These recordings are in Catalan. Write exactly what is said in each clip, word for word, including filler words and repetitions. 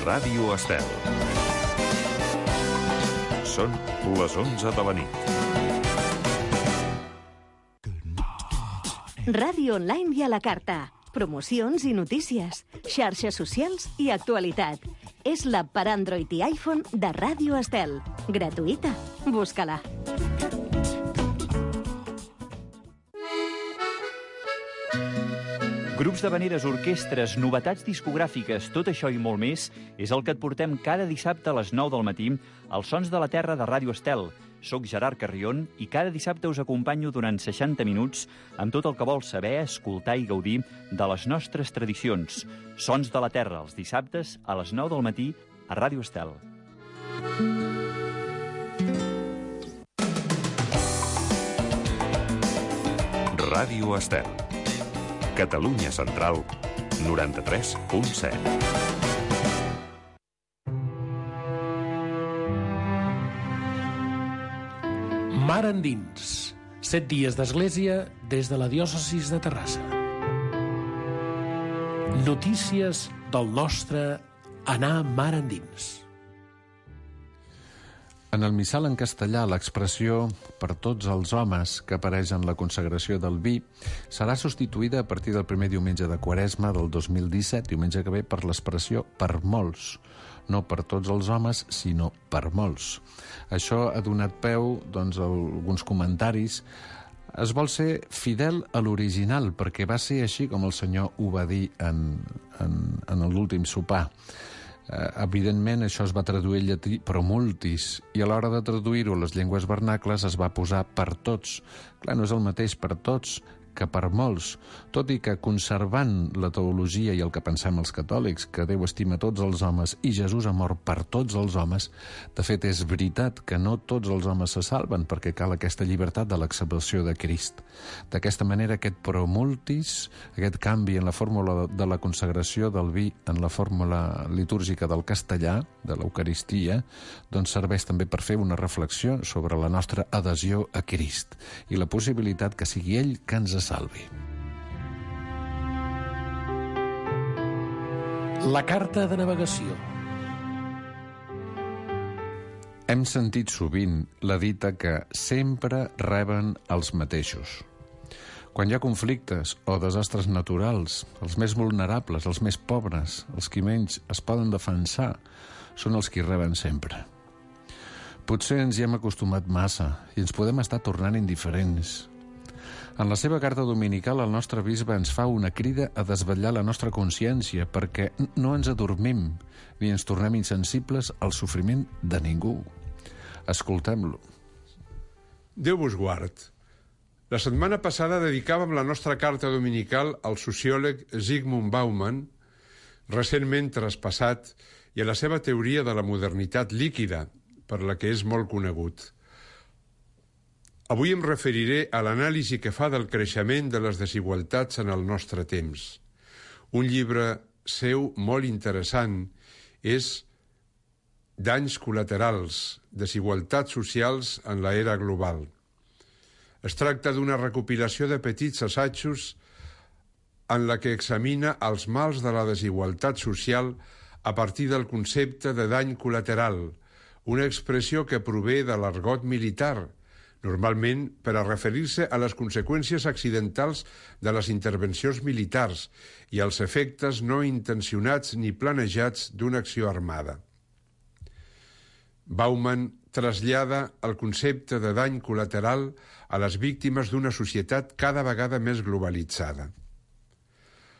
Ràdio Estel. Són les onze de la nit. Ràdio online i a la carta. Promocions i notícies, xarxes socials i actualitat. És l'app per Android i iPhone de Ràdio Estel. Gratuïta. Busca-la. Grups d'havaneres, orquestres, novetats discogràfiques, tot això i molt més és el que et portem cada dissabte a les nou del matí als Sons de la Terra de Ràdio Estel. Soc Gerard Carrion i cada dissabte us acompanyo durant seixanta minuts amb tot el que vols saber, escoltar i gaudir de les nostres tradicions. Sons de la Terra, els dissabtes a les nou del matí a Ràdio Estel. Ràdio Estel. Catalunya Central, noranta-tres punt set. Mar endins. Set dies d'església des de la diòcesis de Terrassa. Notícies del nostre anar mar endins. En el missal en castellà, l'expressió «per tots els homes» que apareix en la consagració del vi serà substituïda a partir del primer diumenge de Quaresma del dos mil disset, diumenge que ve, per l'expressió «per molts». No per tots els homes, sinó per molts. Això ha donat peu, doncs, a alguns comentaris. Es vol ser fidel a l'original, perquè va ser així com el Senyor ho va dir en, en, en l'últim sopar. Uh, evidentment, això es va traduir al llatí pro multis, i a l'hora de traduir-ho a les llengües vernacles es va posar per tots. Clar, no és el mateix per tots que per molts, tot i que conservant la teologia i el que pensem els catòlics, que Déu estima tots els homes i Jesús ha mort per tots els homes, de fet és veritat que no tots els homes se salven perquè cal aquesta llibertat de l'acceptació de Crist. D'aquesta manera, aquest pro multis, aquest canvi en la fórmula de la consagració del vi en la fórmula litúrgica del castellà, de l'Eucaristia, doncs serveix també per fer una reflexió sobre la nostra adhesió a Crist i la possibilitat que sigui ell que ens salvi. La carta de navegació. Hem sentit sovint la dita que sempre reben els mateixos. Quan hi ha conflictes o desastres naturals, els més vulnerables, els més pobres, els qui menys es poden defensar, són els qui reben sempre. Potser ens hi hem acostumat massa i ens podem estar tornant indiferents. En la seva carta dominical, el nostre bisbe ens fa una crida a desvetllar la nostra consciència perquè no ens adormim ni ens tornem insensibles al sofriment de ningú. Escoltem-lo. Déu vos guard. La setmana passada dedicàvem la nostra carta dominical al sociòleg Zygmunt Bauman, recentment traspassat, i a la seva teoria de la modernitat líquida, per la que és molt conegut. Avui em referiré a l'anàlisi que fa del creixement de les desigualtats en el nostre temps. Un llibre seu molt interessant és Danys col·laterals, desigualtats socials en l'era global. Es tracta d'una recopilació de petits assajos en la que examina els mals de la desigualtat social a partir del concepte de dany col·lateral, una expressió que prové de l'argot militar, normalment per a referir-se a les conseqüències accidentals de les intervencions militars i als efectes no intencionats ni planejats d'una acció armada. Bauman trasllada el concepte de dany col·lateral a les víctimes d'una societat cada vegada més globalitzada.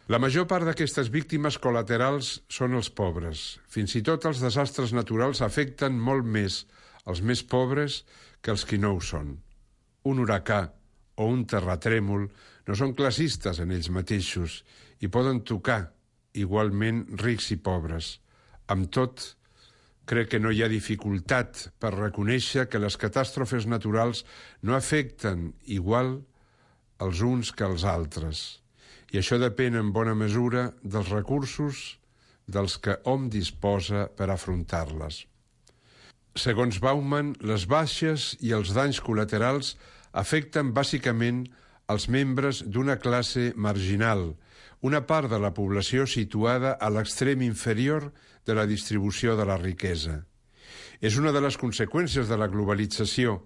La major part d'aquestes víctimes col·laterals són els pobres. Fins i tot els desastres naturals afecten molt més els més pobres que els qui no ho són. Un huracà o un terratrèmol no són classistes en ells mateixos i poden tocar igualment rics i pobres. Amb tot, crec que no hi ha dificultat per reconèixer que les catàstrofes naturals no afecten igual els uns que els altres. I això depèn en bona mesura dels recursos dels que hom disposa per afrontar-les. Segons Bauman, les baixes i els danys col·laterals afecten bàsicament als membres d'una classe marginal, una part de la població situada a l'extrem inferior de la distribució de la riquesa. És una de les conseqüències de la globalització,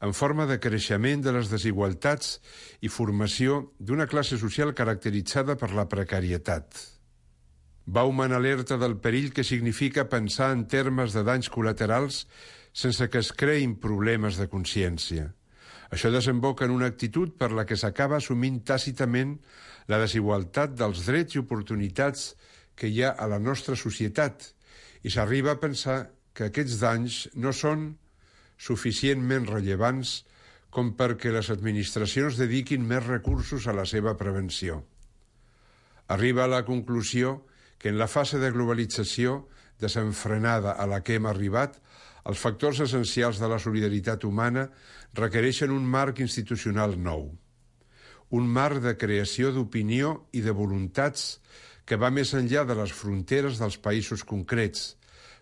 en forma de creixement de les desigualtats i formació d'una classe social caracteritzada per la precarietat. Bauman alerta del perill que significa pensar en termes de danys col·laterals sense que es creïn problemes de consciència. Això desemboca en una actitud per la que s'acaba assumint tàcitament la desigualtat dels drets i oportunitats que hi ha a la nostra societat i s'arriba a pensar que aquests danys no són suficientment rellevants com perquè les administracions dediquin més recursos a la seva prevenció. Arriba a la conclusió que en la fase de globalització desenfrenada a la que hem arribat, els factors essencials de la solidaritat humana requereixen un marc institucional nou. Un marc de creació d'opinió i de voluntats que va més enllà de les fronteres dels països concrets,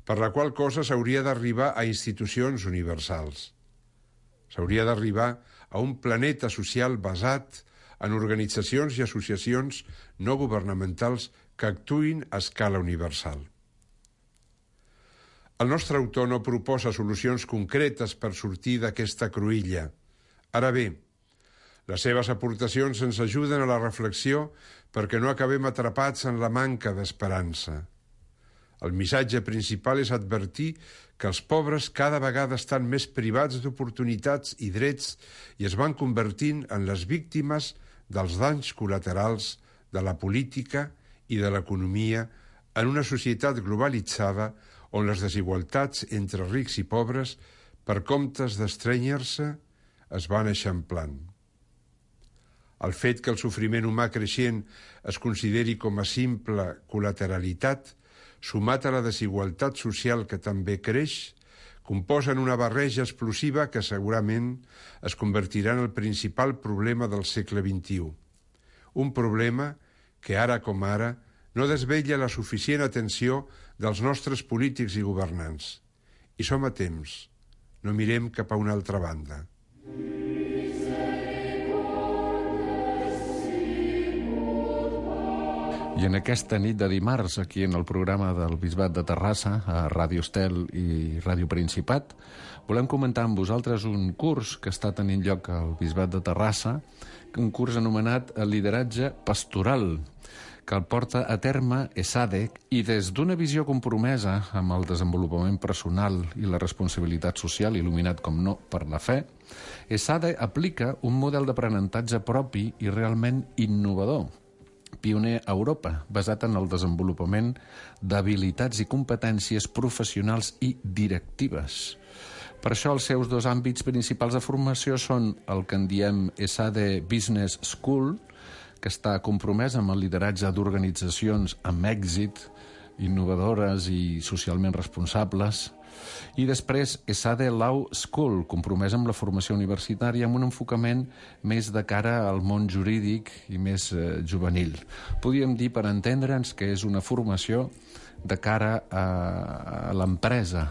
per la qual cosa s'hauria d'arribar a institucions universals. S'hauria d'arribar a un planeta social basat en organitzacions i associacions no governamentals que actuïn a escala universal. El nostre autor no proposa solucions concretes per sortir d'aquesta cruïlla. Ara bé, les seves aportacions ens ajuden a la reflexió perquè no acabem atrapats en la manca d'esperança. El missatge principal és advertir que els pobres cada vegada estan més privats d'oportunitats i drets i es van convertint en les víctimes dels danys col·laterals de la política i de l'economia en una societat globalitzada on les desigualtats entre rics i pobres, per comptes d'estrènyer-se, es van eixamplant. El fet que el sofriment humà creixent es consideri com a simple col·lateralitat, sumat a la desigualtat social que també creix, composen una barreja explosiva que segurament es convertirà en el principal problema del segle vint-i-u. Un problema que ara com ara no desvetlla la suficient atenció dels nostres polítics i governants. I som a temps. No mirem cap a una altra banda. I en aquesta nit de dimarts, aquí en el programa del Bisbat de Terrassa, a Ràdio Estel i Ràdio Principat, volem comentar amb vosaltres un curs que està tenint lloc al Bisbat de Terrassa, un curs anomenat El lideratge pastoral, que el porta a terme ESADE, i des d'una visió compromesa amb el desenvolupament personal i la responsabilitat social, il·luminat com no per la fe, ESADE aplica un model d'aprenentatge propi i realment innovador, pioner a Europa, basat en el desenvolupament d'habilitats i competències professionals i directives. Per això els seus dos àmbits principals de formació són el que en diem ESADE Business School, que està compromès amb el lideratge d'organitzacions amb èxit, innovadores i socialment responsables, i després ESADE Law School, compromès amb la formació universitària amb un enfocament més de cara al món jurídic i més eh, juvenil. Podríem dir, per entendre'ns, que és una formació de cara a, a l'empresa,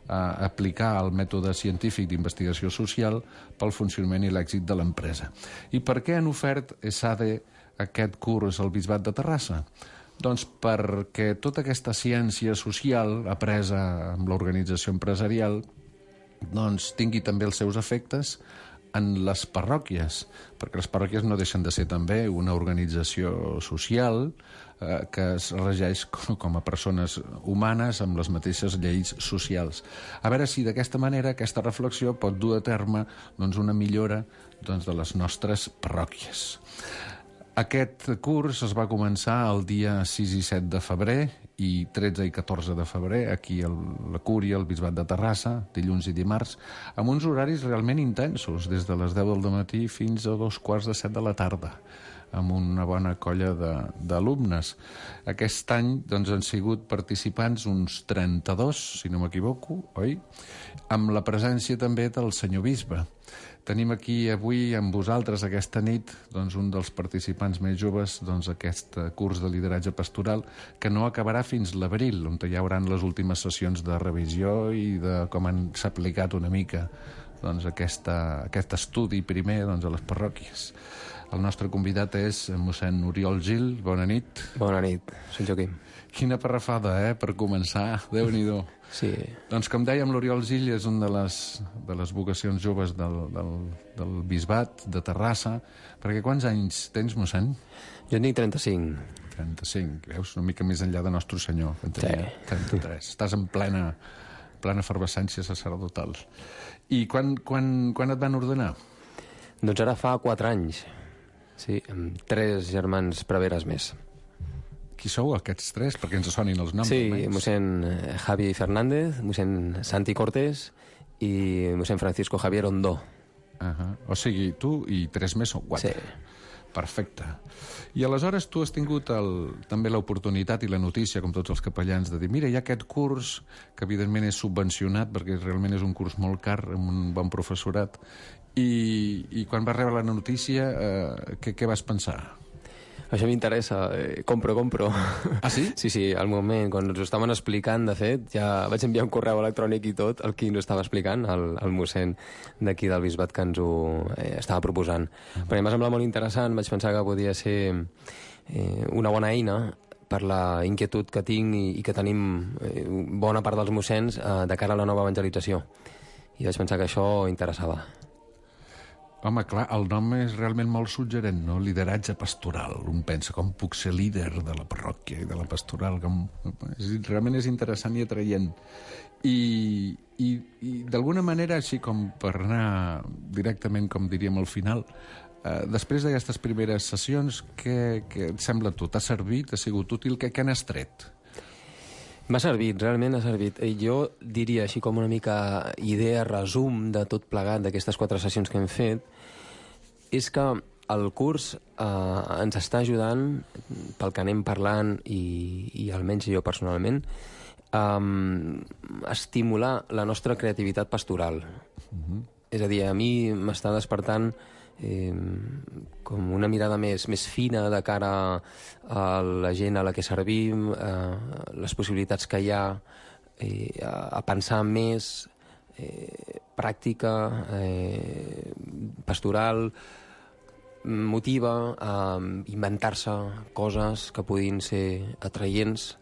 a aplicar el mètode científic d'investigació social pel funcionament i l'èxit de l'empresa. I per què han ofert ESADE aquest curs al Bisbat de Terrassa? Doncs perquè tota aquesta ciència social apresa amb l'organització empresarial doncs tingui també els seus efectes en les parròquies, perquè les parròquies no deixen de ser també una organització social eh, que es regeix com a persones humanes amb les mateixes lleis socials. A veure si d'aquesta manera aquesta reflexió pot dur a terme doncs, una millora doncs, de les nostres parròquies. Aquest curs es va començar el dia sis i set de febrer i tretze i catorze de febrer aquí a la Cúria, al Bisbat de Terrassa, dilluns i dimarts, amb uns horaris realment intensos, des de les deu del matí fins a dos quarts de set de la tarda, amb una bona colla d'alumnes. Aquest any doncs, han sigut participants uns trenta-dos, si no m'equivoco, oi? Amb la presència també del senyor bisbe. Tenim aquí avui amb vosaltres aquesta nit doncs, un dels participants més joves d'aquest doncs, curs de lideratge pastoral que no acabarà fins l'abril, on hi haurà les últimes sessions de revisió i de com han s'ha aplicat una mica doncs, aquesta, aquest estudi primer doncs, a les parròquies. El nostre convidat és mossèn Oriol Gil. Bona nit. Bona nit, soc Joaquim. Quina parrafada, eh, per començar. Déu-n'hi-do. Sí. Doncs com dèiem, l'Oriol Gil és una de les, de les vocacions joves del, del, del bisbat de Terrassa. Perquè quants anys tens, mossèn? Jo en tinc trenta-cinc. trenta-cinc, veus? Una mica més enllà de Nostre Senyor, que en tenia Sí. trenta-tres. Estàs en plena, plena efervescència sacerdotal. I quan, quan, quan et van ordenar? Doncs ara fa quatre anys. Sí, amb tres germans preveres més. Qui sou aquests tres? Perquè ens sonin els noms. Sí, almenys. mossèn Javi Fernández, mossèn Santi Cortés i mossèn Francisco Javier Ondó. Uh -huh. O sigui, tu i tres més o quatre. Sí. Perfecte. I aleshores tu has tingut el, també l'oportunitat i la notícia, com tots els capellans, de dir, mira, hi ha aquest curs, que evidentment és subvencionat, perquè realment és un curs molt car, amb un bon professorat, i, i quan vas rebre la notícia, eh, què, què vas pensar? Això m'interessa. Eh, compro, compro. Ah, sí? Sí, sí, al moment, quan ens ho estaven explicant, de fet, ja vaig enviar un correu electrònic i tot, el qui ens ho estava explicant, el, el mossèn d'aquí del bisbat que ens ho eh, estava proposant. Uh-huh. Perquè m'ha semblat molt interessant, vaig pensar que podia ser eh, una bona eina per la inquietud que tinc i, i que tenim eh, bona part dels mossens eh, de cara a la nova evangelització. I vaig pensar que això interessava. Home, clar, el nom és realment molt suggerent, no? Lideratge pastoral. Un pensa, com puc ser líder de la parròquia i de la pastoral? Com... És, realment és interessant i atraient. I, i, i d'alguna manera, així com per anar directament, com diríem, al final, eh, després d'aquestes primeres sessions, què, què et sembla a tu? T'ha servit? Ha sigut útil? Què, què n'has tret? M'ha servit, realment ha servit. Jo diria, així com una mica idea, resum de tot plegat d'aquestes quatre sessions que hem fet, és que el curs eh, ens està ajudant, pel que anem parlant, i, i almenys jo personalment, a estimular la nostra creativitat pastoral. Uh-huh. És a dir, a mi m'està despertant eh, com una mirada més, més fina de cara a la gent a la que servim, eh, les possibilitats que hi ha, eh, a, a pensar més eh, pràctica, eh, pastoral, motiva a inventar-se coses que puguin ser atraients,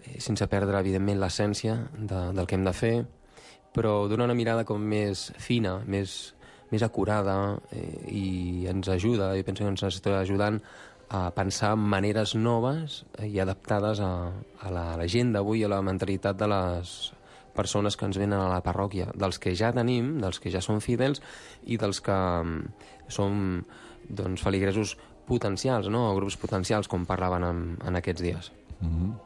eh, sense perdre, evidentment, l'essència de, del que hem de fer, però donar una mirada com més fina, més, més acurada, eh, i ens ajuda, i penso que ens està ajudant a pensar en maneres noves i adaptades a, a, la, a la gent d'avui, a la mentalitat de les persones que ens venen a la parròquia, dels que ja tenim, dels que ja són fidels i dels que um, som doncs, feligresos potencials, no? O grups potencials, com parlaven en, en aquests dies. Mm-hmm.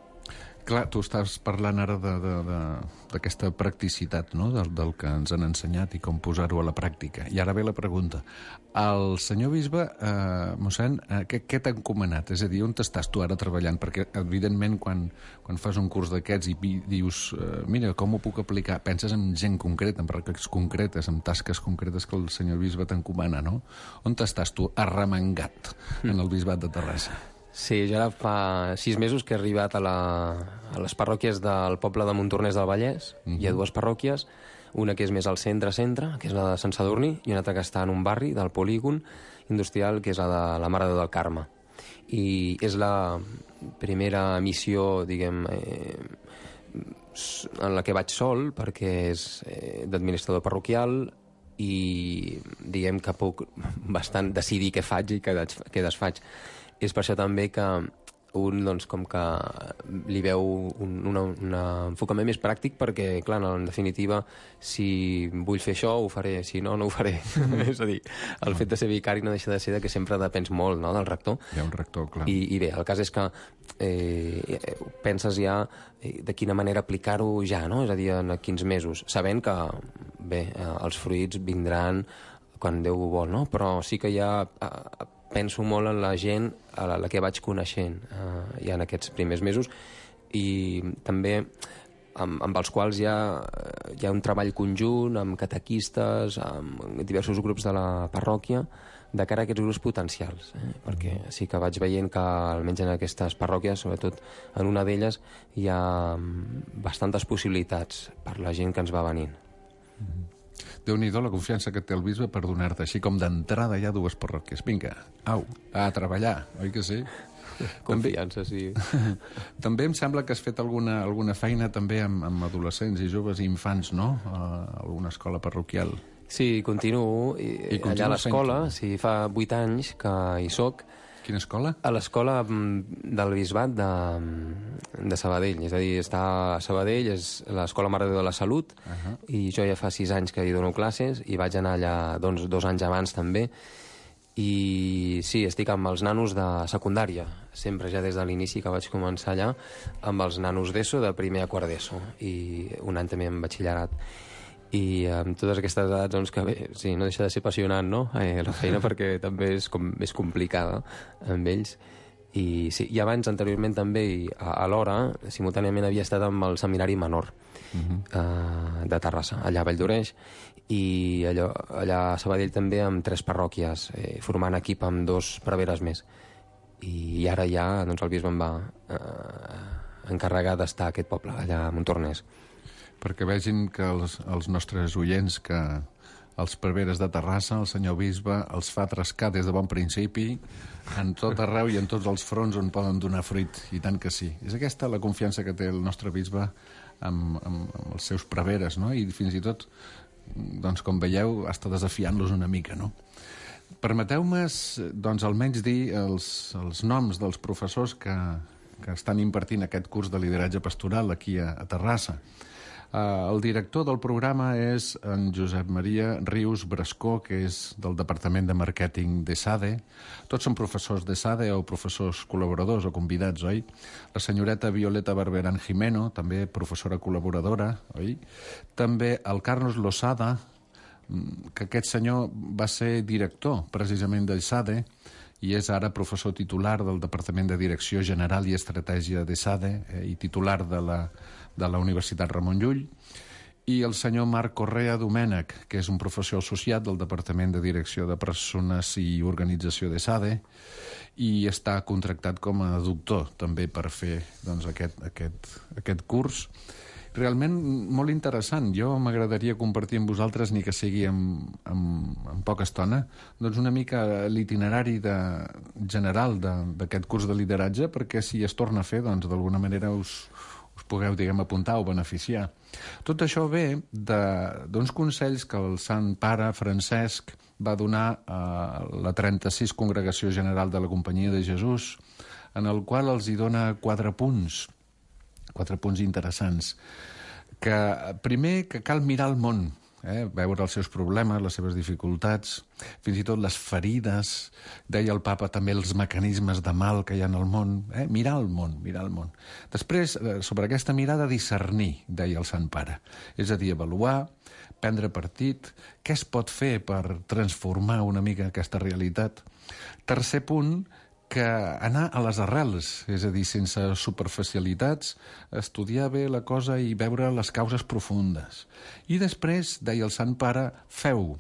Clar, tu estàs parlant ara d'aquesta practicitat, no? del, del que ens han ensenyat i com posar-ho a la pràctica. I ara ve la pregunta. El senyor bisbe, eh, mossèn, eh, què, què t'ha encomanat? És a dir, on estàs tu ara treballant? Perquè, evidentment, quan, quan fas un curs d'aquests i dius, eh, mira, com ho puc aplicar? Penses en gent concreta, en pràctiques concretes, en tasques concretes que el senyor bisbe t'encomana, no? On estàs tu arremangat en el bisbat de Terrassa? Sí, jo ara fa sis mesos que he arribat a, la, a les parròquies del poble de Montornès del Vallès. Uh-huh. Hi ha dues parròquies, una que és més al centre-centre, que és la de Sant Sadurní, i una altra que està en un barri del polígon industrial, que és la de la Mare de Déu del Carme. I és la primera missió, diguem, eh, en la que vaig sol, perquè és eh, d'administrador parroquial, i diguem que puc bastant decidir què faig i què, què desfaig. És per això també que un, doncs, com que li veu un, una, un enfocament més pràctic, perquè, clar, en definitiva, si vull fer això, ho faré, si no, no ho faré. És a dir, el fet de ser vicari no deixa de ser que sempre depens molt, no?, del rector. Hi ha un rector, clar. I, i bé, el cas és que eh, penses ja de quina manera aplicar-ho ja, no?, és a dir, en quins mesos, sabent que, bé, els fruits vindran quan Déu ho vol, no?, però sí que ja eh, penso molt en la gent a la, la que vaig coneixent eh, ja en aquests primers mesos, i també amb, amb els quals hi ha, hi ha un treball conjunt amb catequistes, amb diversos grups de la parròquia, de cara a aquests grups potencials, eh? Perquè sí que vaig veient que almenys en aquestes parròquies, sobretot en una d'elles, hi ha bastantes possibilitats per la gent que ens va venint. Déu-n'hi-do la confiança que té el bisbe per donar-te així com d'entrada ja dues parròquies. Vinga, au, a treballar, oi que sí? Confiança, sí. També em sembla que has fet alguna, alguna feina també amb, amb adolescents i joves i infants, no? A alguna escola parroquial. Sí, continuo. I, I allà a l'escola, fent-ho. sí, fa vuit anys que hi soc. Quina escola? A l'escola del Bisbat de, de Sabadell. És a dir, està a Sabadell, és l'Escola Mare de Déu de la Salut, uh -huh. i jo ja fa sis anys que hi dono classes, i vaig anar allà doncs, dos anys abans també. I sí, estic amb els nanos de secundària, sempre ja des de l'inici que vaig començar allà, amb els nanos d'ESO, de primer a quart d'ESO, i un any també en batxillerat. I amb totes aquestes edats, doncs, que bé, sí, no deixa de ser apassionant, no?, eh, la feina, perquè també és, com, és complicada amb ells. I, sí, i abans, anteriorment, també, i a, a l'hora, simultàniament havia estat amb el seminari menor uh-huh. eh, de Terrassa, allà a Valldoreix, i allò, allà a Sabadell també amb tres parròquies, eh, formant equip amb dos preveres més. I, i ara ja, doncs, el bisbe em va eh, encarregar d'estar a aquest poble, allà a Montornès. Perquè vegin que els, els nostres oients, que els preveres de Terrassa, el senyor bisbe, els fa trascar des de bon principi, en tot arreu i en tots els fronts on poden donar fruit, i tant que sí. És aquesta la confiança que té el nostre bisbe amb, amb, amb els seus preveres, no? I fins i tot, doncs, com veieu, està desafiant-los una mica, no? Permeteu-me, doncs, almenys dir els, els noms dels professors que, que estan impartint aquest curs de lideratge pastoral aquí a, a Terrassa. Uh, el director del programa és en Josep Maria Rius Brascó, que és del Departament de Màrqueting d'ESADE. Tots són professors d'ESADE o professors col·laboradors o convidats, oi? La senyoreta Violeta Barberán Jimeno, també professora col·laboradora, oi? També el Carlos Losada, que aquest senyor va ser director precisament d'ESADE i és ara professor titular del Departament de Direcció General i Estratègia d'ESADE eh, i titular de la de la Universitat Ramon Llull, i el senyor Marc Correa Domènech, que és un professor associat del Departament de Direcció de Persones i Organització d'ESADE, i està contractat com a doctor també per fer doncs, aquest, aquest, aquest curs. Realment molt interessant. Jo m'agradaria compartir amb vosaltres, ni que sigui en, en, en poca estona, doncs una mica l'itinerari de, general d'aquest curs de lideratge, perquè si es torna a fer, doncs d'alguna manera us us pugueu, diguem, apuntar o beneficiar. Tot això ve d'uns consells que el Sant Pare Francesc va donar a la trenta-sis Congregació General de la Companyia de Jesús, en el qual els hi dona quatre punts, quatre punts interessants. Que, primer, que cal mirar el món, eh? veure els seus problemes, les seves dificultats, fins i tot les ferides, deia el papa també els mecanismes de mal que hi ha en el món, eh? mirar el món, mirar el món. Després, sobre aquesta mirada, discernir, deia el Sant Pare, és a dir, avaluar, prendre partit, què es pot fer per transformar una mica aquesta realitat. Tercer punt, que anar a les arrels, és a dir, sense superficialitats, estudiar bé la cosa i veure les causes profundes. I després, deia el Sant Pare, feu,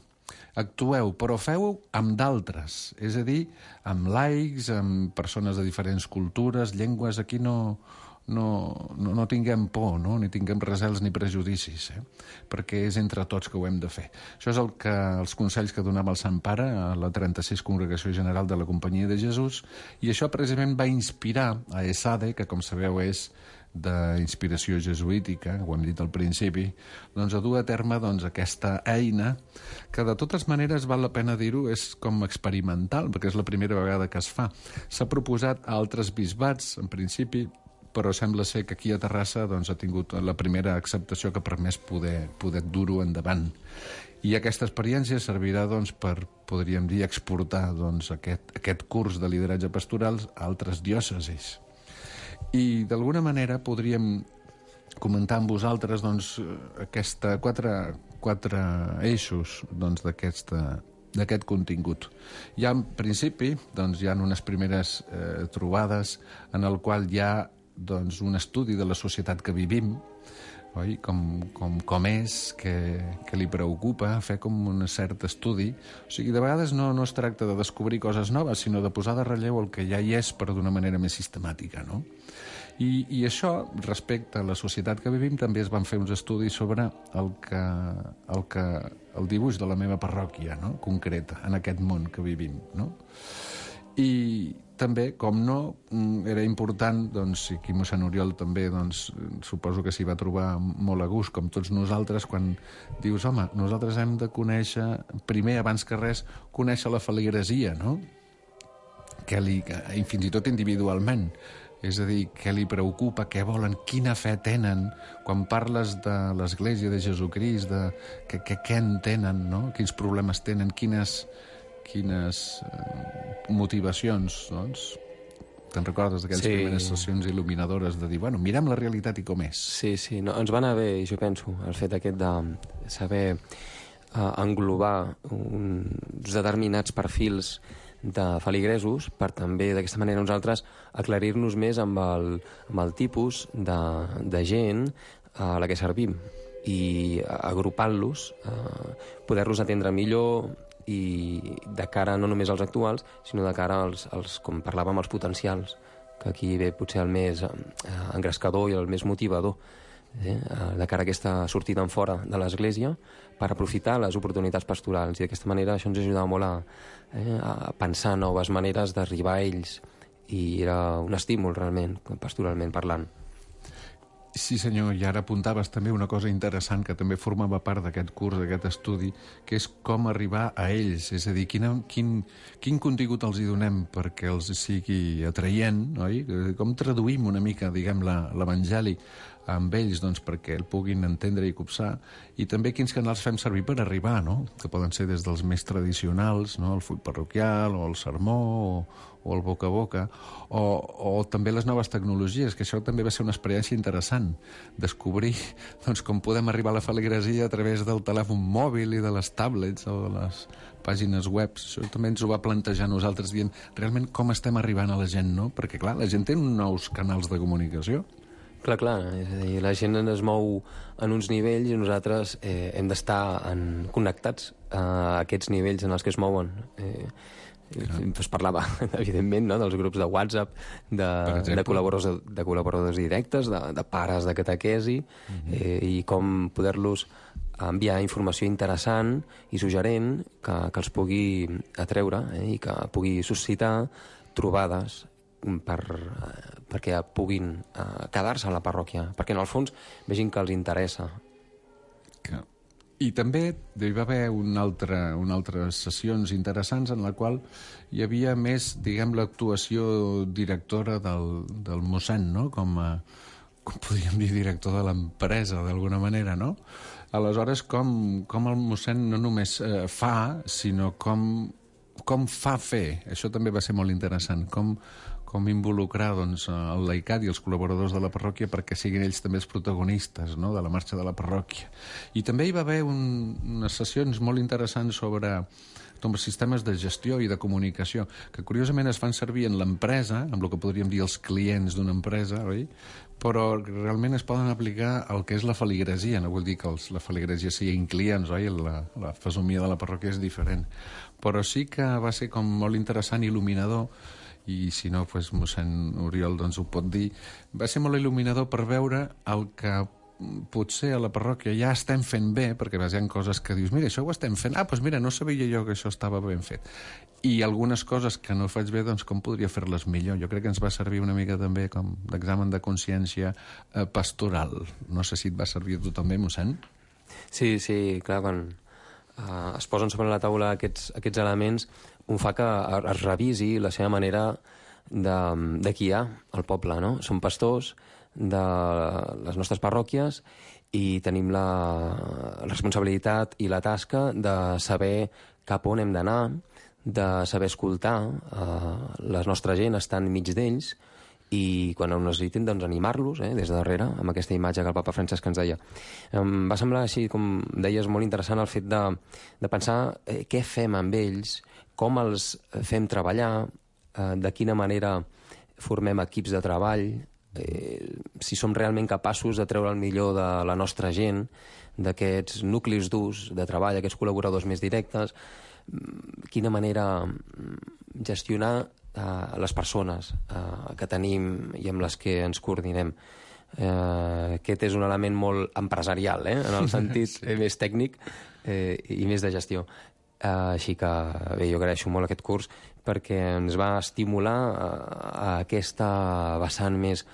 actueu, però feu amb d'altres, és a dir, amb laics, amb persones de diferents cultures, llengües. Aquí no, no, no, no tinguem por, no? ni tinguem recels ni prejudicis, eh? perquè és entre tots que ho hem de fer. Això és el que, els consells que donava el Sant Pare a la trenta-sis Congregació General de la Companyia de Jesús, i això precisament va inspirar a ESADE, que com sabeu és d'inspiració jesuítica, ho hem dit al principi, doncs a dur a terme doncs, aquesta eina que de totes maneres val la pena dir-ho, és com experimental, perquè és la primera vegada que es fa. S'ha proposat a altres bisbats, en principi, però sembla ser que aquí a Terrassa doncs, ha tingut la primera acceptació que ha permès poder, poder dur-ho endavant. I aquesta experiència servirà doncs, per, podríem dir, exportar doncs, aquest, aquest curs de lideratge pastoral a altres diòcesis. I d'alguna manera podríem comentar amb vosaltres doncs, aquesta, quatre, quatre eixos doncs, d'aquest contingut. Ja en principi doncs, hi ha unes primeres eh, trobades en el qual hi ha doncs, un estudi de la societat que vivim, oi? Com, com, com és, que, que li preocupa, fer com un cert estudi. O sigui, de vegades no, no es tracta de descobrir coses noves, sinó de posar de relleu el que ja hi és, però d'una manera més sistemàtica, no? I, I això, respecte a la societat que vivim, també es van fer uns estudis sobre el que, el que el dibuix de la meva parròquia, no? Concreta, en aquest món que vivim, no? I també, com no, era important, doncs, i aquí mossèn Oriol també, doncs, suposo que s'hi va trobar molt a gust, com tots nosaltres, quan dius, home, nosaltres hem de conèixer, primer, abans que res, conèixer la feligresia, no? Que li, i fins i tot individualment. És a dir, què li preocupa, què volen, quina fe tenen. Quan parles de l'Església de Jesucrist, de què, què, què entenen, no? Quins problemes tenen, quines, quines eh, motivacions, doncs. Te'n recordes d'aquelles sí. primeres sessions il·luminadores de dir, bueno, mirem la realitat i com és. Sí, sí, no, ens va anar bé, jo penso, el fet aquest de saber uh, englobar uns determinats perfils de feligresos per també, d'aquesta manera, nosaltres aclarir-nos més amb el, amb el tipus de, de gent a la que servim i agrupant-los, eh, poder-los atendre millor i de cara no només als actuals, sinó de cara als, als com parlàvem, als potencials, que aquí ve potser el més eh, engrescador i el més motivador, eh, de cara a aquesta sortida en fora de l'Església, per aprofitar les oportunitats pastorals. I d'aquesta manera això ens ajudava molt a, eh, a pensar noves maneres d'arribar a ells. I era un estímul, realment, pastoralment parlant. Sí, senyor, i ara apuntaves també una cosa interessant que també formava part d'aquest curs, d'aquest estudi, que és com arribar a ells, és a dir, quina, quin, quin contingut els hi donem perquè els sigui atraient, oi? Com traduïm una mica, diguem, l'Evangeli amb ells, doncs, perquè el puguin entendre i copsar, i també quins canals fem servir per arribar, no? Que poden ser des dels més tradicionals, no? El full parroquial, o el sermó, o, o el boca a boca, o, o també les noves tecnologies, que això també va ser una experiència interessant, descobrir doncs, com podem arribar a la feligresia a través del telèfon mòbil i de les tablets o de les pàgines web. Això també ens ho va plantejar nosaltres dient realment com estem arribant a la gent, no? Perquè, clar, la gent té nous canals de comunicació. Clar, clar, és a dir, la gent es mou en uns nivells i nosaltres eh, hem d'estar connectats a aquests nivells en els que es mouen. Eh, es parlava, evidentment, no?, dels grups de WhatsApp, de, de, col·laboradors, de col·laboradors directes, de, de pares de catequesi, uh-huh. eh, i com poder-los enviar informació interessant i suggerent que, que els pugui atreure, eh, i que pugui suscitar trobades per, perquè puguin uh, quedar-se a la parròquia, perquè en el fons vegin que els interessa. I també hi va haver una altra, una altres sessions interessants en la qual hi havia més, diguem, l'actuació directora del, del mossèn, no? Com, a, com podríem dir, director de l'empresa, d'alguna manera, no? Aleshores, com, com el mossèn no només eh, fa, sinó com, com fa fer. Això també va ser molt interessant, com com involucrar doncs, el laicat i els col·laboradors de la parròquia perquè siguin ells també els protagonistes, no?, de la marxa de la parròquia. I també hi va haver un, unes sessions molt interessants sobre doncs, sistemes de gestió i de comunicació, que curiosament es fan servir en l'empresa, amb el que podríem dir els clients d'una empresa, oi? Però realment es poden aplicar al que és la feligresia. No vull dir que els, la feligresia siguin clients, oi? La, la fesomia de la parròquia és diferent. Però sí que va ser com molt interessant i il·luminador, i si no, doncs, mossèn Oriol doncs, ho pot dir, va ser molt il·luminador per veure el que potser a la parròquia ja estem fent bé, perquè hi ha coses que dius, mira, això ho estem fent, ah, doncs mira, no sabia jo que això estava ben fet. I algunes coses que no faig bé, doncs com podria fer-les millor? Jo crec que ens va servir una mica també com d'examen de consciència eh, pastoral. No sé si et va servir a tu també, mossèn? Sí, sí, clar, quan uh, es posen sobre la taula aquests, aquests elements, un fa que es revisi la seva manera de, de guiar el poble, no? Som pastors de les nostres parròquies i tenim la, la responsabilitat i la tasca de saber cap on hem d'anar, de saber escoltar eh, la nostra gent, estar enmig d'ells, i quan ho necessitin, doncs, animar-los, eh, des de darrere, amb aquesta imatge que el papa Francesc ens deia. Em va semblar, així, com deies, molt interessant el fet de, de pensar eh, què fem amb ells, com els fem treballar, eh, de quina manera formem equips de treball, eh, si som realment capaços de treure el millor de la nostra gent, d'aquests nuclis durs de treball, aquests col·laboradors més directes, quina manera gestionar eh, les persones eh, que tenim i amb les que ens coordinem. Eh, aquest és un element molt empresarial, eh, en el sentit sí. més tècnic eh, i més de gestió. Eh, així que bé, jo agraeixo molt aquest curs perquè ens va estimular a, a aquesta vessant més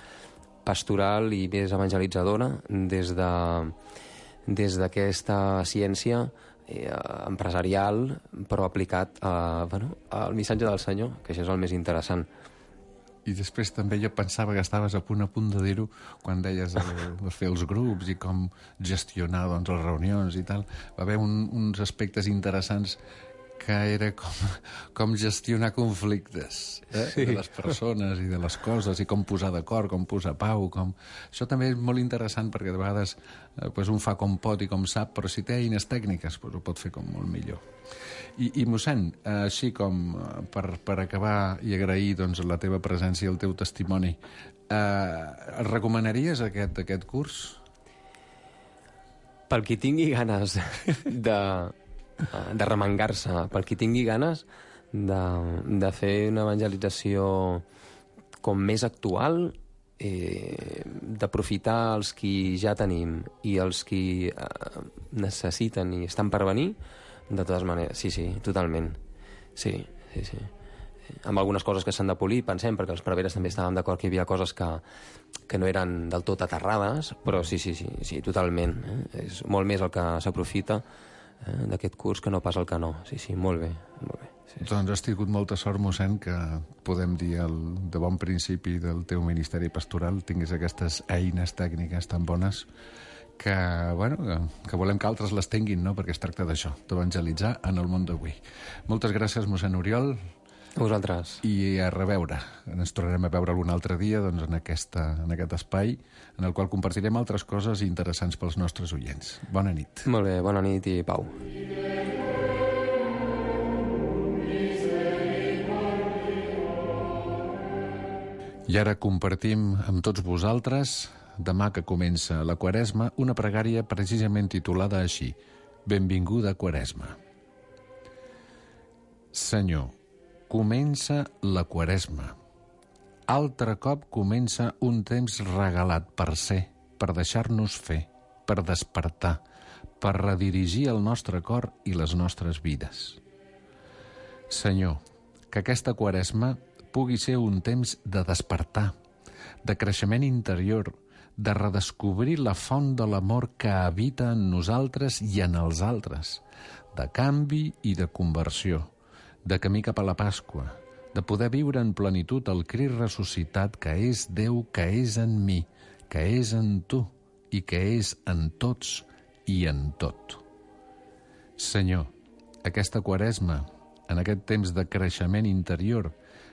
pastoral i més evangelitzadora des de des d'aquesta ciència eh, empresarial, però aplicat a, bueno, al missatge del Senyor, que això és el més interessant. I després també jo pensava que estaves a punt a punt de dir-ho quan deies el, de fer els grups i com gestionar doncs, les reunions i tal. Va haver un, uns aspectes interessants que era com, com gestionar conflictes eh? sí. de les persones i de les coses i com posar d'acord, com posar pau. Com... Això també és molt interessant perquè de vegades eh, pues un fa com pot i com sap, però si té eines tècniques pues ho pot fer com molt millor. I, i mossèn, eh, així com eh, per, per acabar i agrair doncs, la teva presència i el teu testimoni, eh, recomanaries aquest, aquest curs? Pel qui tingui ganes de... de remengar-se, per qui tingui ganes de, de fer una evangelització com més actual, eh, d'aprofitar els qui ja tenim i els qui eh, necessiten i estan per venir, de totes maneres, sí, sí, totalment. Sí, sí, sí. Amb algunes coses que s'han de polir, pensem, perquè els preveres també estàvem d'acord que hi havia coses que, que no eren del tot aterrades, però sí, sí, sí, sí totalment. Eh? És molt més el que s'aprofita Eh, d'aquest curs que no pas el que no. Sí, sí, molt bé. Molt bé. Sí, sí. Doncs has tingut molta sort, mossèn, que podem dir el, de bon principi del teu ministeri pastoral tinguis aquestes eines tècniques tan bones que, bueno, que, que volem que altres les tinguin, no? Perquè es tracta d'això, d'evangelitzar en el món d'avui. Moltes gràcies, mossèn Oriol. A vosaltres. I a reveure. Ens tornarem a veure algun altre dia doncs, en, aquesta, en aquest espai en el qual compartirem altres coses interessants pels nostres oients. Bona nit. Molt bé, bona nit i pau. I ara compartim amb tots vosaltres, demà que comença la Quaresma, una pregària precisament titulada així: Benvinguda Quaresma. Senyor, comença la Quaresma. Altre cop comença un temps regalat per ser, per deixar-nos fer, per despertar, per redirigir el nostre cor i les nostres vides. Senyor, que aquesta Quaresma pugui ser un temps de despertar, de creixement interior, de redescobrir la font de l'amor que habita en nosaltres i en els altres, de canvi i de conversió, de camí cap a la Pasqua, de poder viure en plenitud el Crist ressuscitat que és Déu, que és en mi, que és en tu i que és en tots i en tot. Senyor, aquesta Quaresma, en aquest temps de creixement interior,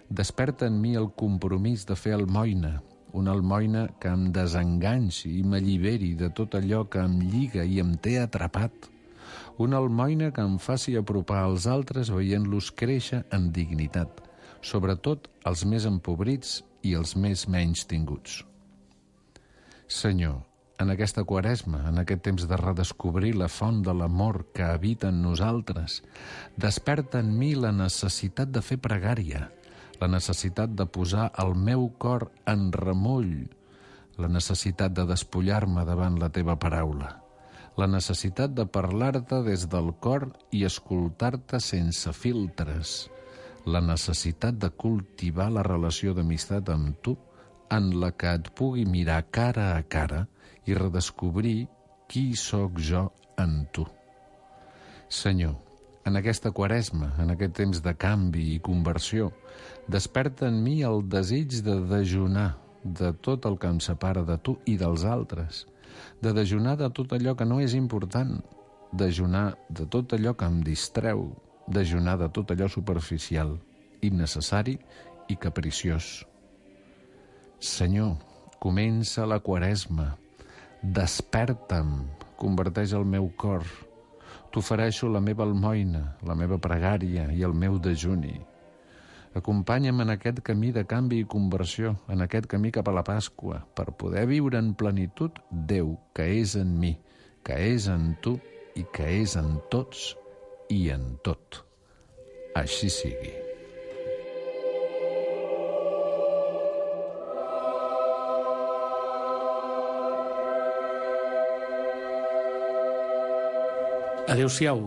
desperta en mi el compromís de fer almoina, una almoina que em desenganxi i m'alliberi de tot allò que em lliga i em té atrapat, una almoina que em faci apropar als altres veient-los créixer en dignitat, sobretot els més empobrits i els més menys tinguts. Senyor, en aquesta Quaresma, en aquest temps de redescobrir la font de l'amor que habita en nosaltres, desperta en mi la necessitat de fer pregària, la necessitat de posar el meu cor en remull, la necessitat de despullar-me davant la teva paraula, la necessitat de parlar-te des del cor i escoltar-te sense filtres, la necessitat de cultivar la relació d'amistat amb tu en la que et pugui mirar cara a cara i redescobrir qui sóc jo en tu. Senyor, en aquesta Quaresma, en aquest temps de canvi i conversió, desperta en mi el desig de dejunar de tot el que em separa de tu i dels altres, de dejunar de tot allò que no és important, dejunar de tot allò que em distreu, dejunar de tot allò superficial, innecessari i capriciós. Senyor, comença la Quaresma, desperta'm, converteix el meu cor, t'ofereixo la meva almoina, la meva pregària i el meu dejuni. Acompanya'm en aquest camí de canvi i conversió, en aquest camí cap a la Pasqua, per poder viure en plenitud Déu, que és en mi, que és en tu i que és en tots i en tot. Així sigui. Adéu-siau,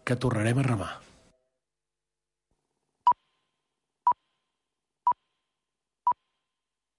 que tornarem a remar.